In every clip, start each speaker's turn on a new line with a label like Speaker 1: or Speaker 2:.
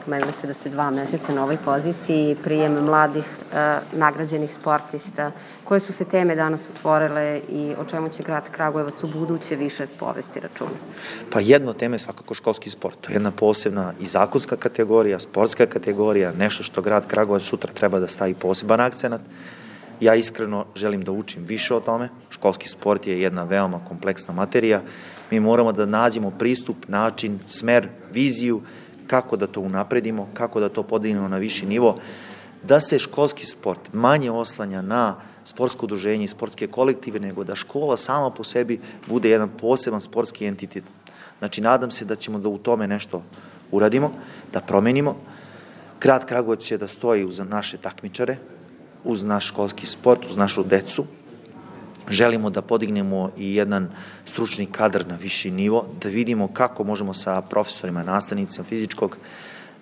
Speaker 1: pomenuli ste da ste 2 meseca na ovoj poziciji, prijem mladih nagrađenih sportista. Koje su se teme danas otvorile i o čemu će grad Kragujevac u buduće više povesti računa?
Speaker 2: Pa jedna tema je svakako školski sport. To je jedna posebna i zakonska kategorija, sportska kategorija, nešto što grad Kragujevac sutra treba da stavi poseban akcenat. Ja iskreno želim da učim više o tome. Školski sport je jedna veoma kompleksna materija. Mi moramo da nađemo pristup, način, smer, viziju, kako da to unapredimo, kako da to podignemo na viši nivo, da se školski sport manje oslanja na sportsko udruženje i sportske kolektive, nego da škola sama po sebi bude jedan poseban sportski entitet. Znači, nadam se da ćemo da u tome nešto uradimo, da promenimo. Grad Kragujevac će da stoji uz naše takmičare, uz naš školski sport, uz našu decu. Želimo da podignemo i jedan stručni kadar na viši nivo, da vidimo kako možemo sa profesorima, nastavnicima fizičkog,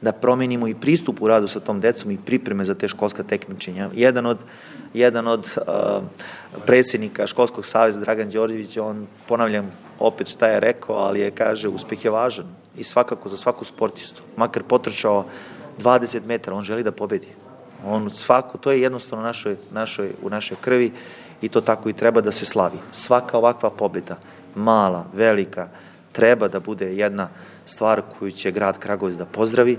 Speaker 2: da promenimo i pristup u radu sa tom decom i pripreme za te školska takmičenja. Jedan od predsjednika Školskog saveza, Dragan Đorđević, on, ponavljam opet šta je rekao, ali je, kaže, uspeh je važan i svakako za svaku sportistu, makar potrčao 20 metara, on želi da pobedi. To je jednostavno u našoj krvi i to tako i treba da se slavi. Svaka ovakva pobjeda, mala, velika, treba da bude jedna stvar koju će grad Kragujevac da pozdravi,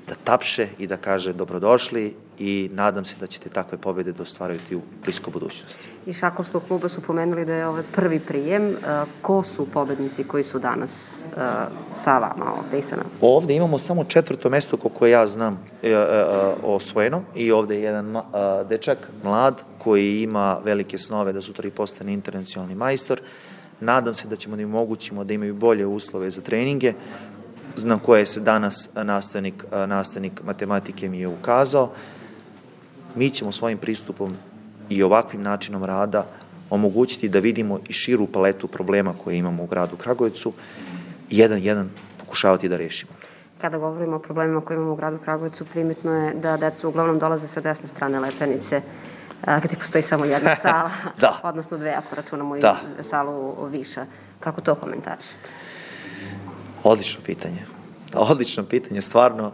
Speaker 2: da tapše i da kaže dobrodošli i nadam se da ćete takve pobjede da ostvarujete u bliskoj budućnosti.
Speaker 1: Iz šahovskog kluba su pomenuli da je ovo prvi prijem. Ko su pobednici koji su danas sa vama ovde i sa nama?
Speaker 2: Ovde imamo samo 4. mesto koje ja znam osvojeno i ovde je jedan dečak, mlad, koji ima velike snove da sutra i postane internacionalni majstor. Nadam se da ćemo da im omogućimo da imaju bolje uslove za treninge, na koje se danas nastavnik matematike mi je ukazao. Mi ćemo svojim pristupom i ovakvim načinom rada omogućiti da vidimo i širu paletu problema koje imamo u gradu Kragujevcu i jedan pokušavati da rešimo.
Speaker 1: Kada govorimo o problemima koje imamo u gradu Kragujevcu, primetno je da deca uglavnom dolaze sa desne strane Lepenice, gde postoji samo jedna sala, odnosno 2 ako računamo i salu Viša. Kako to komentarišete?
Speaker 2: Odlično pitanje, stvarno.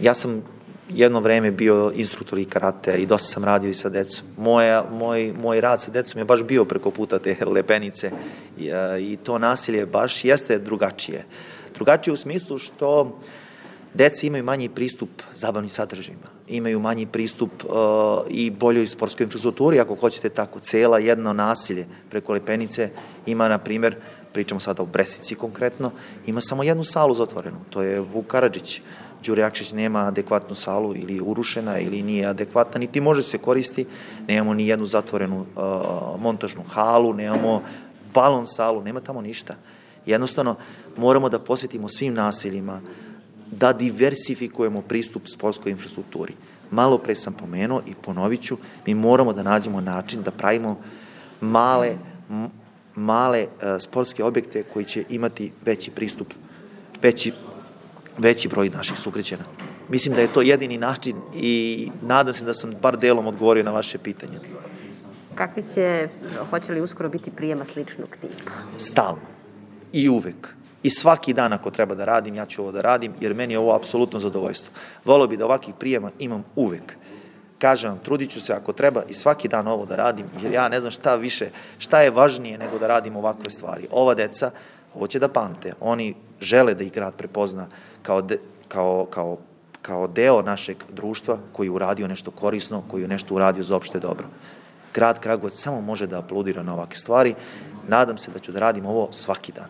Speaker 2: Ja sam jedno vreme bio instruktor i karate i dosta sam radio i sa decom. Moj rad sa decom je baš bio preko puta te Lepenice i to nasilje baš jeste drugačije. Drugačije u smislu što deca imaju manji pristup zabavnim sadržajima, imaju manji pristup i boljoj sportskoj infrastrukturi, ako hoćete tako. Cela jedno nasilje preko Lepenice ima, na primjer, pričamo sada o Bresici konkretno, ima samo jednu salu zatvorenu, to je Vuk Karadžić. Đure Jakšić nema adekvatnu salu ili je urušena ili nije adekvatna, niti može se koristi, nemamo ni jednu zatvorenu montažnu halu, nemamo balon salu, nema tamo ništa. Jednostavno, moramo da posvetimo svim nasiljima, da diversifikujemo pristup sportskoj infrastrukturi. Malo pre sam pomenuo i ponovit ću, mi moramo da nađemo način da pravimo male sportske objekte koji će imati veći pristup, veći broj naših sugrađana. Mislim da je to jedini način i nadam se da sam bar delom odgovorio na vaše pitanje.
Speaker 1: Hoće li uskoro biti prijema sličnog tipa?
Speaker 2: Stalno i uvek. I svaki dan ako treba da radim, ja ću ovo da radim, jer meni je ovo apsolutno zadovoljstvo. Voleo bi da ovakvih prijema imam uvek. Kažem vam, trudit ću se ako treba i svaki dan ovo da radim, jer ja ne znam šta je važnije nego da radim ovakve stvari. Ova deca, ovo će da pamte, oni žele da ih grad prepozna kao deo našeg društva koji je uradio nešto korisno, koji je nešto uradio za opšte dobro. Grad Kragujevac samo može da aplaudira na ovakve stvari. Nadam se da ću da radim ovo svaki dan.